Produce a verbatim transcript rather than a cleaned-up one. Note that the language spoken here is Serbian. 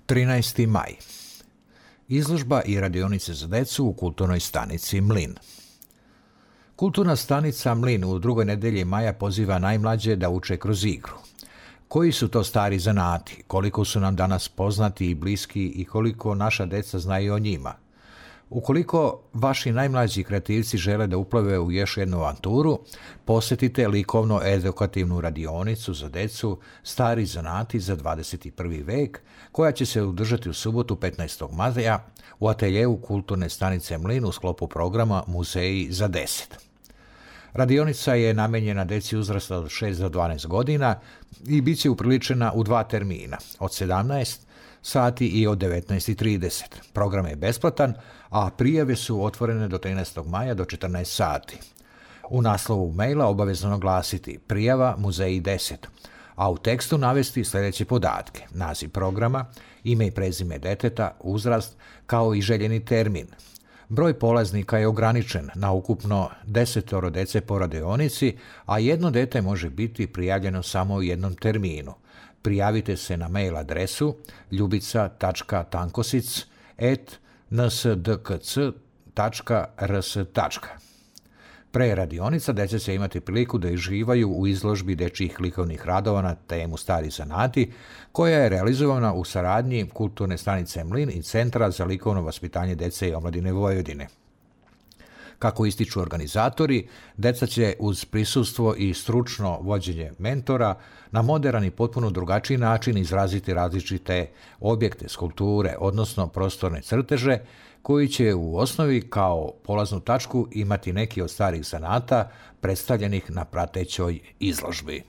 trinaesti maj. Izložba i radionice za decu u kulturnoj stanici Mlin. Kulturna stanica Mlin u drugoj nedelji maja poziva najmlađe da uče kroz igru. Koji su to stari zanati, koliko su nam danas poznati i bliski i koliko naša deca znaju o njima? Ukoliko vaši najmlađi kreativci žele da uplove u još jednu avanturu, posjetite likovno-edukativnu radionicu za decu Stari zanati za dvadeset prvi vek, koja će se održati u subotu petnaestog maja u ateljevu kulturne stanice Mlin u sklopu programa Muzeji za deset. Radionica je namenjena deci uzrasta od šest do dvanaest godina i bit će upriličena u dva termina, od sedamnaest sati i od devetnaest i trideset. Program je besplatan, a prijave su otvorene do trinaestog maja do četrnaest sati. U naslovu maila obavezno naglasiti prijava Muzeji deset, a u tekstu navesti sljedeće podatke: naziv programa, ime i prezime deteta, uzrast, kao i željeni termin. Broj polaznika je ograničen na ukupno desetoro dece po radionici, a jedno dete može biti prijavljeno samo u jednom terminu. Prijavite se na mail adresu ljubica tačka tankosic et n s d k c tačka r s. Pre radionica deca će imati priliku da uživaju u izložbi dečjih likovnih radova na temu Stari zanati, koja je realizovana u saradnji kulturne stanice Mlin i Centra za likovno vaspitanje dece i omladine Vojvodine. Kako ističu organizatori, deca će uz prisustvo i stručno vođenje mentora na moderan i potpuno drugačiji način izraziti različite objekte, skulpture, odnosno prostorne crteže, koji će u osnovi kao polaznu tačku imati neki od starih zanata predstavljenih na pratećoj izložbi.